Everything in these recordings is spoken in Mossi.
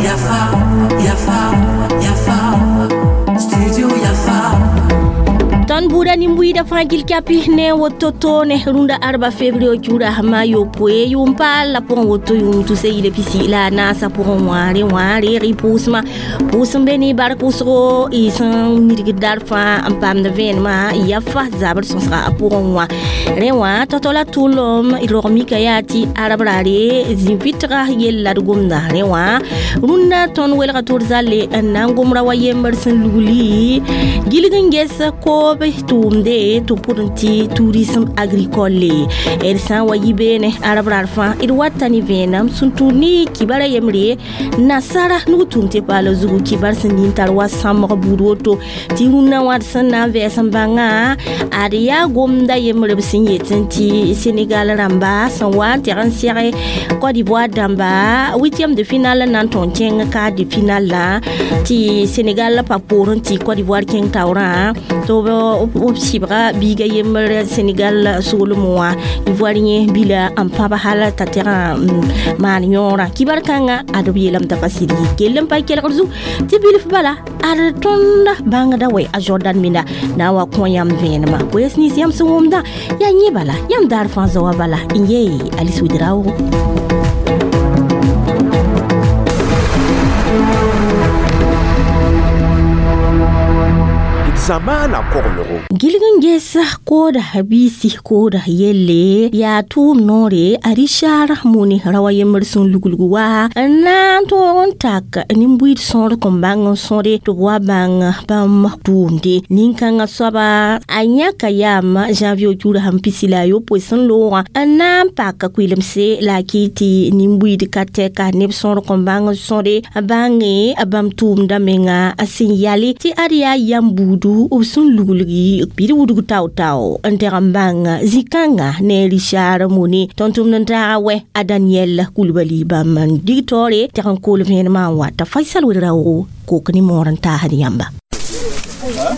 Yafa, Yafa, Yafa, Studio Yafa. Tõnd buuda nin-buiidã fãa gil kapi ne woto toone rũndã arba fevrier kiuda ma yopoe yʋʋm paal la pʋgẽ woto yʋʋm tusa yile pisi la a naasã pʋgẽ wãare wã reeg y pʋʋsmã pʋʋs n be ne bark pʋʋsgo y sẽn midgd dar fãa n paamd vẽenemã ya fa zabr sõsga a pʋgẽ wã rẽ wã tao-tao la tʋlem rog mika yaa tɩ arab raare zĩ-vɩtga yella d gomda rẽ wã rũndã tõnd welga tʋd zalle n na n gomra wa yembr sẽn lugli gilg n ges koob tʋʋmde tɩ pʋd n tɩ tourisme agricole d sã n wa yi beene arab rar fãa d wata ne vẽenem sẽn tʋʋd ne kibara yembre nasara nug tʋʋm tɩ paala zugu kibar sẽn nin tar wa sãmbg buud woto tɩ rũnnã wã d sẽn na n vɛɛs n bãnga ad yaa gomda yembre b sẽn yetẽ tɩ Senegal rãmba sẽn wa n tɛg n sɛge Côte d'Ivoire dãmba huitième de finale na n tõn kẽng quart de finale la tɩ Senegal pa poorẽ tɩ Côte d'Ivoire kẽng taoorã tɩ b sɩbga biiga yembr Senegal soolem wã Ivoirien bila n pãb hal t'a tɛg n maan yõorã kibar kãngã ad b yeelame t'a pa sɩd yɩ kell n pa kelgr zug tɩ bilf bala ad tõnd bãngda wɛ a Jordan minda na n wa kõ yãmb vẽenemã koees nins yãmb sẽn wʋmdã yaa yẽ bala yãmb daar fãa zaoã bala n yee Alice Ouedraogo. Zamana koglgo. Gilg n ges kooda biisi kooda yelle yaa tʋʋm noore a Richard Mone ra wa yembr sẽn luglg wa n na n tõog n tak nin-buiid sõor kõn bãng n sõde tɩ b wa bãng bãmb tʋʋmde nin-kãngã soaba a yãka yaam janvier kiuda sẽn pisi la a yopoe sẽn loogã n na n pak kʋɩlemse la a kɩ tɩ nin-buiid ka tɛka neb sõor kõn bãng n sõde bãnge bãmb tʋʋmda menga sẽn yale tɩ ad yaa yam buudu b sẽn luglgi bɩd wudg tao-tao n tɛg n bãng zĩ-kãngã ne Richard Mone tõnd tʋmd n taaga wɛ a Daniel Coulibaly bãmb n dig taoore tɛg n kool vẽenemã n wa t'a Faisal Ouedraogo kok ne moor n taasd yãmba.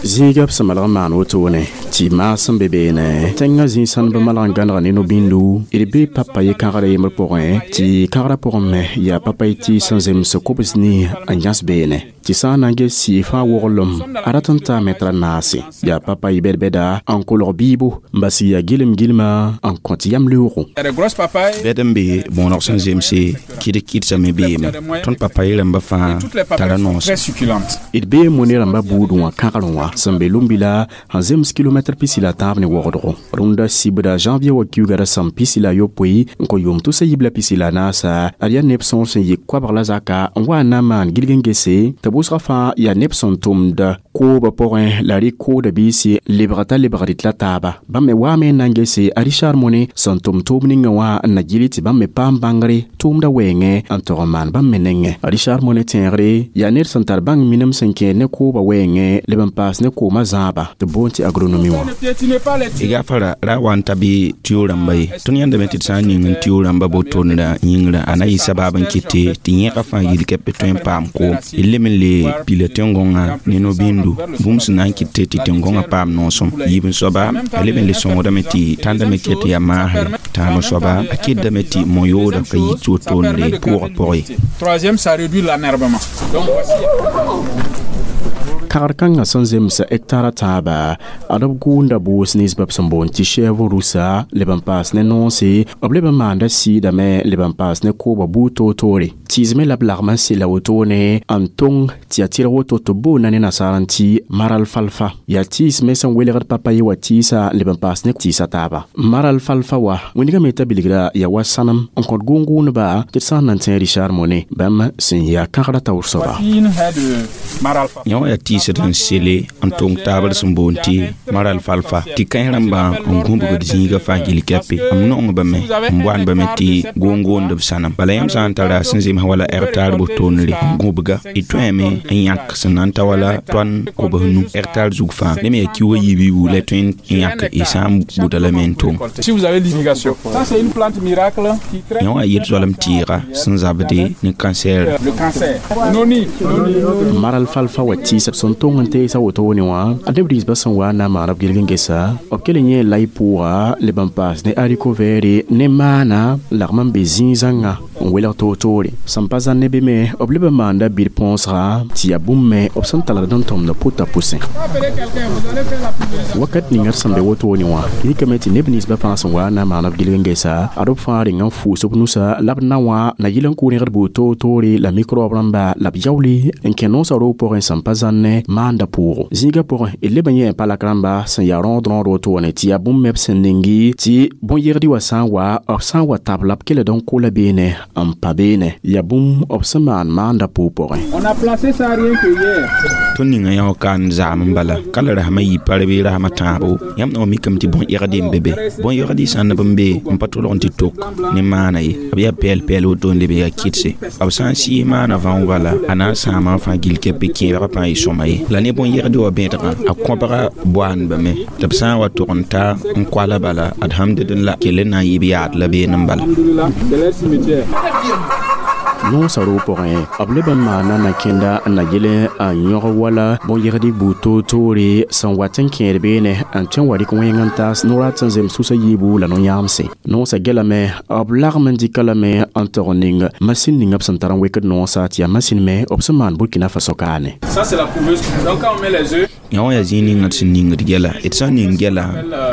Zĩiga b sẽn malg n maan wotone tɩ maasem be beene tẽngã zĩ-sãndb malg n gãnega ne no-bĩndu d bee papa ye kãgrã yembr pʋgẽ tɩ kãgrã pʋgẽ me yaa papay tɩ sẽn zems kobs ni n yãs beene tɩ sã n na n ges sɩɩ fãa woglem a rat n taa mɛtra naase yaa papa y bɛd-bɛda n kolg biibo n bas yaa gilem gilma n kõt yam leoogo. Bɛd n be bõoneg sẽn zemse kɩd-kɩdsame beeme tõnd papaye rãmbã fãa tara noos. D bee mone rãmbã buudẽ wã kãgrẽ wã sẽn be Lumbila sẽn zems kilomɛtr pisi la tãab ne wogdgo rũndã sibda janvier wa kiuga ra sãm pisi la yopoe n kõ yʋʋm tʋsa yib la pisi la naasa ad yaa neb sõor sẽn yɩ koabg la zaka n wa n na n maan gilg n gese tɩ bʋsgã fãa yaa neb sẽn tʋmd koobã pʋgẽ la rɩ kooda biisi lebg t'a lebg rɩt la taaba bãmb me waame n na n gese a Richard Mone sẽn tʋm tʋʋm ninga wã n na gili tɩ bãmb me paam bãngre tʋʋmda wɛɛngẽ n tog n maan bãmb me nengẽ a Richard Mone tẽegre yaa ned sẽn tar bãng minim sẽn kẽed ne koobã wɛɛngẽ leb n paas ne koomã zãaba tɩ boond tɩ agronomie wã. Y gafara ra wa n ta bɩ tɩ rãmba ye tõnd yãndame tɩ d sã n ning n tɩ rãmba botonra yĩngrã a na yɩ sabaab n kɩte tɩ yẽga fãa yil-kɛp tõe n paam koom d lem n le pila tẽn-gõngã ne no-bĩndu bũmb sẽn na n kɩt tɩ tẽn-gõngã paam noosem yiib n soaba a leb n le sõngdame tɩ tãndame ket yaa maasre tãab n soaba a kɩtdame tɩ mo-yooda ka yit wotoonre pʋʋgã pʋgẽ ye. Troisième, ça réduit l'enherbement. Donc voici. Kagr kãngã sẽn zems hectara tãaba ad b gʋʋnda boos ninsba b sẽn boond tɩ chɛɛb rusa leb n paas ne noonse b leb n maanda sɩɩdame leb n paas ne koobã buud toor-toore tɩɩsme la b lagm n sella wotone n tong tɩ yaa tɩrg woto tɩ b boonda ne nasaar n tɩ maral falfa yaa tɩɩsme sẽn welgd papaye wa tɩɩsa leb n paas ne tɩɩsa taaba maral falfa wa wĩndgame t'a bilgra yaa wa sãnem n kõt gʋʋn-gʋʋndba tɩ d sã n na n tẽ Richard Mone bãmb sẽn yaa kãgrã taoor soaba. Yã wã yaa tɩɩsd n sele n tong taabr sẽn boond tɩ maral falfa tɩ kãens rãmbã n gũbgd zĩiga fãa gil kɛpe m nongba me n boandbame tɩ goong-goond b sãnem bala yãmb sã n tara sẽn zems wala hectare botoonre n gũbga y tõeme n yãk sẽn na n ta wala tõan kobs nu hectare zug fãa ne me yaa kiuga yiib-yiibu la tõe n yãk y sã n buda lame n tong. Si vous avez l'irrigation. Ça, c'est une plante miracle qui traite Yã wã yel zoalem tɩɩga sẽn zabde ne cancer. le cancer. Noni. Maral falfa wa tɩɩsa sẽn n tõng n teesa wotone wã a neb rĩisbã sẽn wa n na n maan b gilg n gesa b kell n yẽ lay pʋʋga leb n paas ne haricot vert ne maana n lagm n be zĩig zãnga n welg toor-toore sẽn pa zãn ne be me b leb n maanda bir põosga tɩ yaa bũmb me b sẽn talgd n tõmd pʋta pʋsẽ wakat ninga d sẽn be wotone wã rikame tɩ neb ninsbã fãa sẽn wa n na n maan b gilg n gesa ad b fãa reng n fʋʋs b nusa la b na wã na yɩl n kʋ rẽgd buud toor-toore la microbe rãmba la b yaoole n kẽ noosã roog pʋgẽ sẽn pa zãnne maanda pʋʋgo zĩigã pʋgẽ d leb n yẽ palak rãmba sẽn yaa rõod rõod wotone tɩ yaa bũmb me b sẽn ningi tɩ bõn-yegd wã sã n wa b sã n wa tabla b kelld n kola beene n pa beene yaa bũmb b sẽn maan maanda pʋʋg pʋgẽ. On a placé ça rien que hier. Tõnd ninga yã kaan zaam n bala ka la rasmã yɩ pa bɩ rasmã tãabo yãmb na mikame tɩ bõn-ẽgd n be be bõn-ẽgd sã n neb n be n pa tʋlg n tɩ tok ne maana ye b yaa pɛɛl-pɛɛl woto n leb yaa kɩdse b sã n sɩɩs maana vãong bala a na n sãama n fãa gill kɛpɩ kẽebgã pãa yɩ sõma ye la ne bõn-yegd wã bẽdgã a kõbga boaandbame tɩ b sã n wa tʋg n ta n koala bala ad hamdd la kell n na n yɩ b yaad la been n bala. Alhamdulillah, c'est leur cimetière. Noosã roog pʋgẽ b leb n maana na-kẽnda n na yel n yõg wala bõn-yegd buud toor-toore sẽn wat n kẽed beene n tõe n wa rɩk wẽng n taas no-rat sẽn zems tusa yiibu la no-yãamse noosã gelame b lagm n dɩka lame n tog n ning masin ninga b sẽn tar n wekd noosã tɩ yaa masin me b sẽn maan Burkina Faso kaane. Ça, c'est la couveuse. Donc, quand on met les œufs, yã wã yaa zĩig ninga d sẽn ningd gɛla d sã n ning gɛla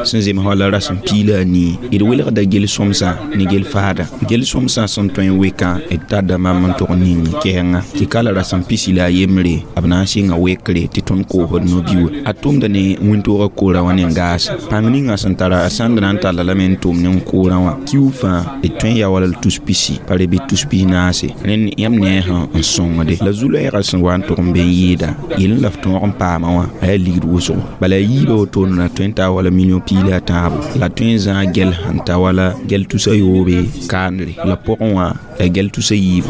sẽn zems wala rasem piig la a nii d welgda gel sõmsã ne gel faada gel sõmsã sẽn tõe n wekã d tadda mam n tʋg ning kɛɛngã tɩ ka la rasem pisi la a yembre b na n sɩnga wekre tɩ tõnd koosd no-biuwe a tʋmda ne wĩntoogã koorã wã ne gaas pãng ninga sẽn tara a sãnd na n talla lame n tʋm ne n koorã wã kiu fãa d tõe n ya wala l tus pisi pa re bɩ tus pis naase rẽnd yãmb ne a sẽn n sõngde la zu-loɛɛgã sẽn wa n tʋg n be n yɩɩda yel n la f tõog n paama wã a yaa ligd wʋsgo bala a yiibã wotone la tõe n taa wala million piig la a tãabo la tõe n zãag gɛl sẽn ta wala gɛl tusa yoobe kaandre la pʋgẽ wã la gɛl tusa yiibu.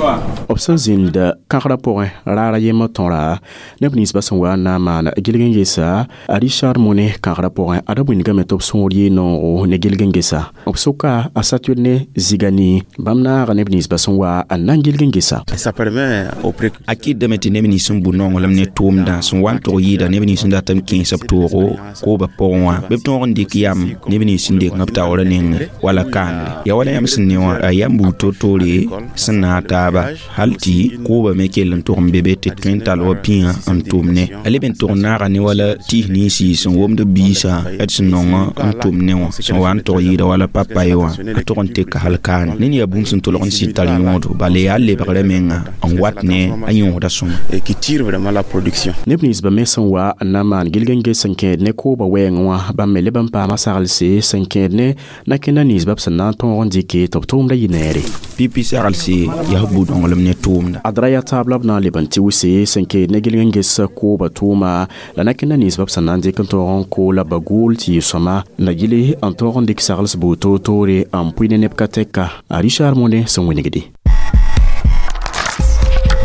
B sẽn zĩnd kãgrã pʋgẽ raara yembr tõra neb ninsbã sẽn wa n na n maan gilg n gesa a Richard Mone kãgrã pʋgẽ ad b wĩndgame tɩ b sõor yɩ noogo ne gilg n gesa b soka a Saturne Zigani bãmb naaga neb ninsbã sẽn wa n na n gilg n gesa. Ça permet aux précurseurs A kɩtdame tɩ neb nins sẽn bu nonglem ne tʋʋmdã sẽn wa n tʋg yɩɩda neb nins sẽn dat n kẽes b toogo koobã pʋgẽ wã bɩ b tõog n dɩk yam neb nins sẽn dek b taoorã nengẽ wala kaanre ya wala yãmb sẽn ne wã a yam buud toor-toore sẽn naag taaba hal tɩ koobã me kell n tʋg n be be tɩ tõe n tall wa pĩigã n tʋm ne a leb n tʋg n naaga ne wala tɩs ninsi sẽn womd b biisã d sẽn nong n tʋm ne wã sẽn wa n tʋg yɩɩda wala papay wã a tʋg n teka hal kaane ned yaa bũmb sẽn tʋlg n sɩd tar yõodo bala yaa lebgrã menga n wat ne a yõosda sõma. Et qui tire vraiment la production. Neb ninsbã me sẽn wa n na n maan gilg n ges n kẽed ne koobã wɛɛngẽ wã bãmb me leb n paama saglse sẽn kẽed ne na-kẽnda ninsbã b sẽn na n tõog n dɩke tɩ b tʋʋmda yɩ neere. Pipi saglse yaa bu-dõnglem ne tʋʋmda. Ad ra yaa taab la b na n leb n tɩwse sẽn kẽed ne gilg n ges koobã tʋʋma la na-kẽnda ninsbã b sẽn na n dɩk n tõog n koola bagool tɩ yɩ sõma la gile n tõog n dɩk sagls buud toor-toore n pʋɩ ne neb ka tɛka a Richard Mone sẽn wingde.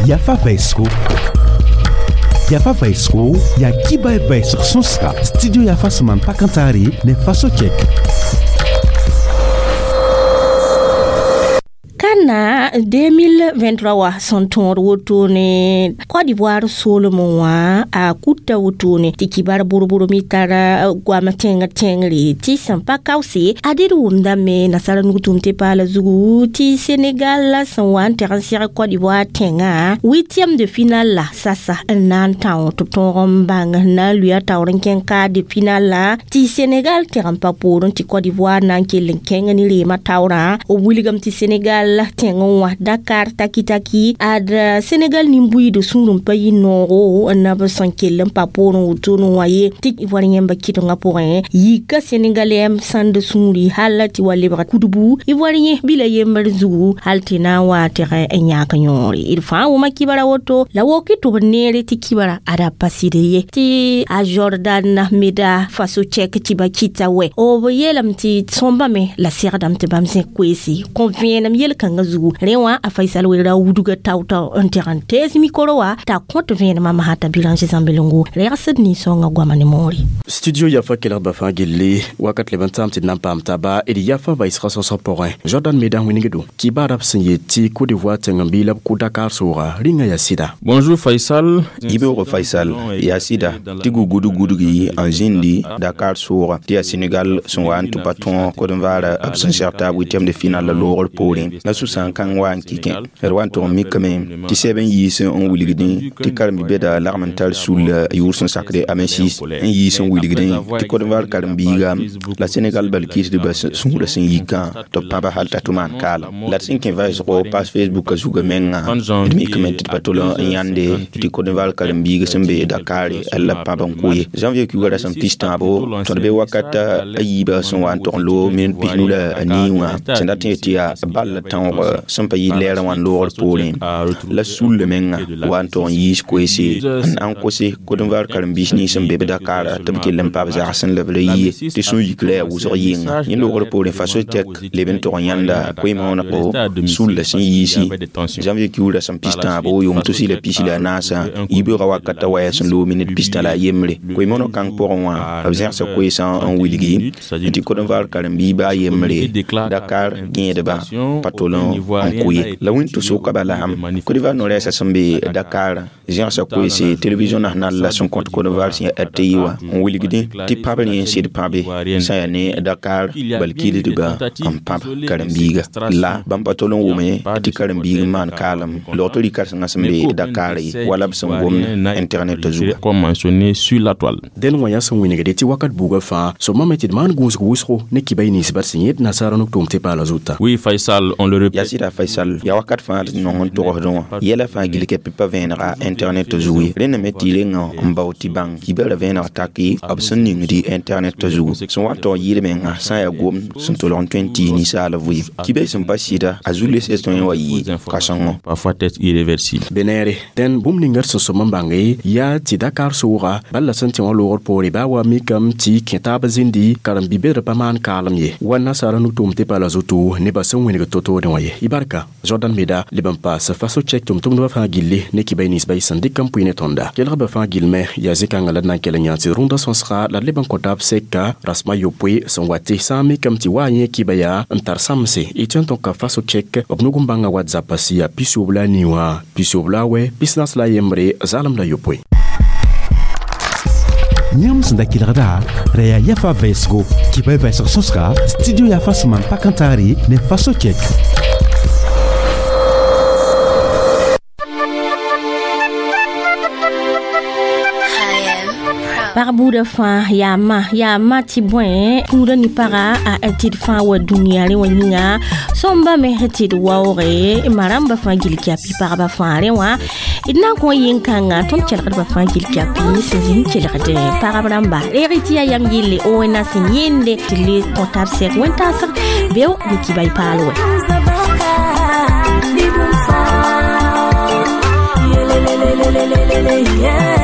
Yafa Vaisro. Yafa Vaisro, ya kiba vaisr sõsga. Studio Yafa sẽn maan pakãntaare ne Faso Tchèque. Kana 2023 wa sẽn tõod wotone Côte d'Ivoire soolem wã a kuta wotone tɩ kibar borbor me tara goam tẽngr tẽngre tɩ sẽn pa kaoose a dɩd wʋmdame nasara nugtʋm tɩ paala zugu tɩ Sénégal la sẽn wa n tɛg n sɛg Côte d'Ivoire tẽngã huitième de finale la sasa n na n tão tɩ b tõog n bãng n na n lʋɩ a taoor n kẽng quart de finale la tɩ Sénégal tɛg n pa poorẽ tɩ Côte d'Ivoire na n kell n kẽng ne reemã taoorã b wilgame tɩ Sénégal tẽng wã Dakar taki-taki ad Sénégal nin-buiid sũur n pa yɩ noogo n b sẽn kell n pa poorẽ wotone wã ye tɩ Ivoire yẽmba kɩdengã pʋgẽ yika Sénégalais sãnd sũuri hal tɩ wa lebg kudbu Ivoire yẽ bila yembr zugu hal tɩ na n wa tɛg n yãk yõore d fãa wʋma kibara woto la woki tɩ b neere tɩ kibara ada pa sɩd ye tɩ a Jordan meda Faso Tchèque tɩ ba kɩta wɛ b yeelame tɩ sõmbame la segdame tɩ bãmb zẽk koeese kõ vẽenem yel-kãngã zugu Rẽ wã a Faisal Werra wudga tao-tao n teg n tees mikro wã t'a kõt vẽenemã masã t'a Birange Zãmbelongo regsd nin-sõngã goama ne moore. Studio Yafa kelgdbã fãa gilli wakat leb n tãam tɩ d na n paam taaba d Yafa vɛɛsgã sõsg pʋgẽ. Jordan Meda wĩnigdo kibaarã b sẽn yet tɩ Côte d'Ivoire tẽng n bɩ la b kʋ Dakar sooga rĩngã yaa sɩda. Bonjour Faisal. Yibeoog Faisal, yaa sɩda tɩ gugudg-gudgi n zĩndi Dakar sooga tɩ yaa Senegal sẽn wa n tɩ pa tõog kod-n-vaara b sẽn seg taab wɩtɛmd final la loogr poorẽ la sũ-sãam kãng wa n kɩkẽ. D wa n tʋg n mikame tɩ sɛb n yiis n wilgdẽ tɩ karen-bi-bɛda lagm n tar sulla yʋʋr sẽn sakde M6 n yiis n wilgdẽ tɩ kod-n-vaar karen-biiga la Senegal bal kɩsdbã sũurã sẽn yikã tɩ b pãba hal t'a tʋ maan kaalem. La d sẽn kẽ vɛɛsgo page Facebook a zugã menga d mikame tɩ d pa tol n yãnde tɩ kod-n-vaar karen-biig sẽn be Dakar la pãb n kʋ ye. Janvier kiuga rasem pis-tãabo tõd be wakat a yiibã sẽn wa n tog n loog minut 95 la wã sẽn dat n yet tɩ yaa bal la tõog sẽn pa yɩ lɛɛrã wã n loogr poorẽ la sulla menga wa n tog n yiis koeese n na n kose kod-n-vaar karen-biis nins sẽn be b Dakar tɩ b kell n pa b zagsẽ la b ra yie tɩ sũ-yikrã yaa wʋsg yɩnga. Yẽ loogr poorẽ faso tɛk leb n tog n yãnda koe-moonegko sulla sẽn yiisi. Janvier kiuug rasem pis-tãabo yʋʋm tʋs-la pis-la naasã yibeoogã wakata waya sẽn loog minut 63. Koe-mooneg kãng pʋgẽ wã b zẽgsa koeesã n wilgi tɩ kod-n-vaar karen-biig baa yembre Dakar gẽedbã pa tol n kʋ ye. La wĩnto-sʋka bala Côte d'Ivoire no-rɛɛsã sẽn be Dakar zẽgsa koeese télévision national la sẽn kõt kod-n-vaar sẽn yaa RTI wã n wilgdẽ tɩ pãb rẽ n sɩd pãbe sã yaa ne Dakar bal kɩɩsdbã n pãb karen-biiga. La bãmb pa tol n wʋme tɩ karen-biig n maan kaalem logtr rɩ-kãsengã sẽn be Dakar ye wala b sẽn gomd internet zuga. Comme mentionné sur la toile. Dẽn wã yaa sẽn wĩnigde tɩ wakat buugã fãa sõma me tɩ d maan gũusg wʋsgo ne kibay ninsbã sẽn yẽd nasaara nuk-tʋʋm tɩ paala zuta. Oui Faisal, on le répète. Yaa sɩda Faisal, yaa wakat fãa d nong n togsdẽ wã yɛla fãa gill kɛpɩ pa vẽenega internet zugu ye. Rẽnda me tɩ rengã n bao tɩ bãng kibã ra vẽeneg taki b sẽn ningdi internet zugu sẽn wa n tog yɩɩd menga sã n yaa gomd sẽn tolg n tõe n tɩ ninsaal vɩɩm. Kibã sẽn pa sɩda a zu-les tõe n wa yɩ kãsengo. Parfois être irréversible. Be neere dẽn bũmb ninga d sẽn sõm n bãnge yaa tɩ Dakar sooga bal la sẽn tẽ wã loogr poore baa wa mikame tɩ kẽ taab zĩndi karen-bi-bɛdr pa maan kaalem ye wa nasaara nuk-tʋʋm tɩ paala zutu nebã sẽn wĩneg to-toodẽ wã ye. Y barka Jordan Meda leb n paas faso chɛk tʋm-tʋmdbã fãa gilli ne kibay ninsbã y sẽn dɩk n pʋɩ ne tõnda. Kelgba fãa gilme yaa zĩ-kãngã la d na n kell n yã tɩ rũndã sõsga la d leb n kõ taab sɛka rasmã yopoe sẽn wa tɩ sã n mikame tɩ wa yẽ kiba yaa n tar sãmse y tõe n tõka faso chɛk b nug n bãnga WhatsApp sɩ yaa 94 wã 94 41 0 9. Yãmb sẽn da kelgda ra yaa Yafa vɛɛsgo kɩba vɛɛsg sõsga studio Yafa sẽn maan pak n taare ne faso kɛk. Pag buudã fãa yaa ma yaa ma tɩ bõe kũudã ne paga a tɩ d fãa wa dũniyã rẽ wã yĩnga sõmba me tɩ d waooge ma rãmbã fãa gill kɛpɩ pagba fãa rẽ wã d na n kõ yẽn-kãngã tõnd kelgdbã fãa gill kɛpɩ sẽn zĩnd kelgd pagb rãmba reeg tɩ yaa yam yelle ONA sẽn yẽnde tɩ le kõ tab sɛk wẽn-taasg beo ne kibay paal wɛ. Yeah.